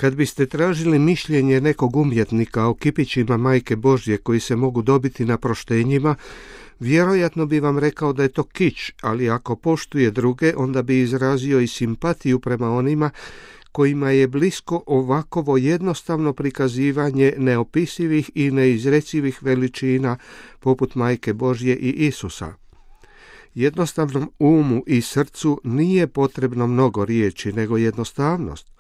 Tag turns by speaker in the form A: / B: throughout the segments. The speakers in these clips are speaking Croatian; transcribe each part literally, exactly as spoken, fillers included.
A: Kad biste tražili mišljenje nekog umjetnika o kipićima Majke Božje koji se mogu dobiti na proštenjima, vjerojatno bi vam rekao da je to kič, ali ako poštuje druge, onda bi izrazio i simpatiju prema onima kojima je blisko ovakovo jednostavno prikazivanje neopisivih i neizrecivih veličina poput Majke Božje i Isusa. Jednostavnom umu i srcu nije potrebno mnogo riječi, nego jednostavnost.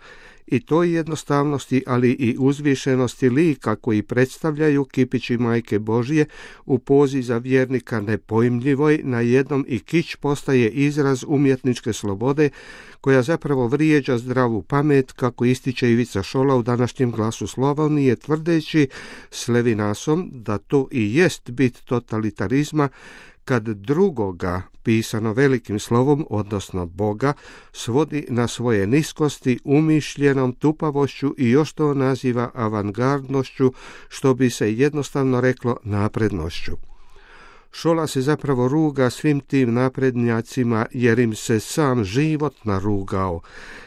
A: I toj jednostavnosti, ali i uzvišenosti lika koji predstavljaju kipići Majke Božje u pozi za vjernika nepojmljivoj, na jednom i kić postaje izraz umjetničke slobode koja zapravo vrijeđa zdravu pamet, kako ističe Ivica Šola u današnjem Glasu Slavonije, tvrdeći s Levinasom da to i jest bit totalitarizma, kad drugoga, pisano velikim slovom, odnosno Boga, svodi na svoje niskosti, umišljenom tupavošću i još to naziva avangardnošću, što bi se jednostavno reklo naprednošću. Šola se zapravo ruga svim tim naprednjacima jer im se sam život narugao.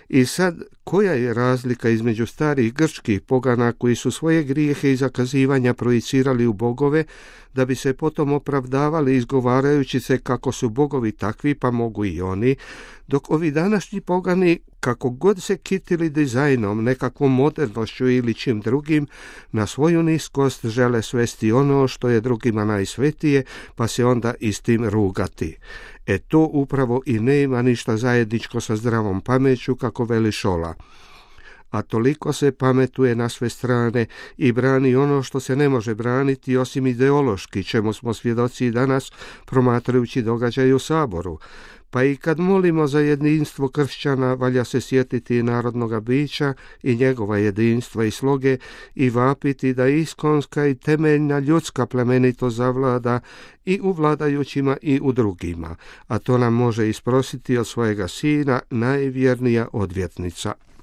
A: I sad, koja je razlika između starih grčkih pogana koji su svoje grijehe i zakazivanja projicirali u bogove, da bi se potom opravdavali izgovarajući se kako su bogovi takvi pa mogu i oni, dok ovi današnji pogani, kako god se kitili dizajnom, nekakvom modernošću ili čim drugim, na svoju niskost žele svesti ono što je drugima najsvetije, pa se onda i s tim rugati. E to upravo i nema ništa zajedničko sa zdravom pameću, kako veli Šola. A toliko se pametuje na sve strane i brani ono što se ne može braniti osim ideološki, čemu smo svjedoci danas promatrajući događaje u Saboru. Pa i kad molimo za jedinstvo kršćana, valja se sjetiti narodnoga bića i njegova jedinstva i sloge i vapiti da iskonska i temeljna ljudska plemenitost zavlada i u vladajućima i u drugima, a to nam može isprositi od svojega sina najvjernija odvjetnica.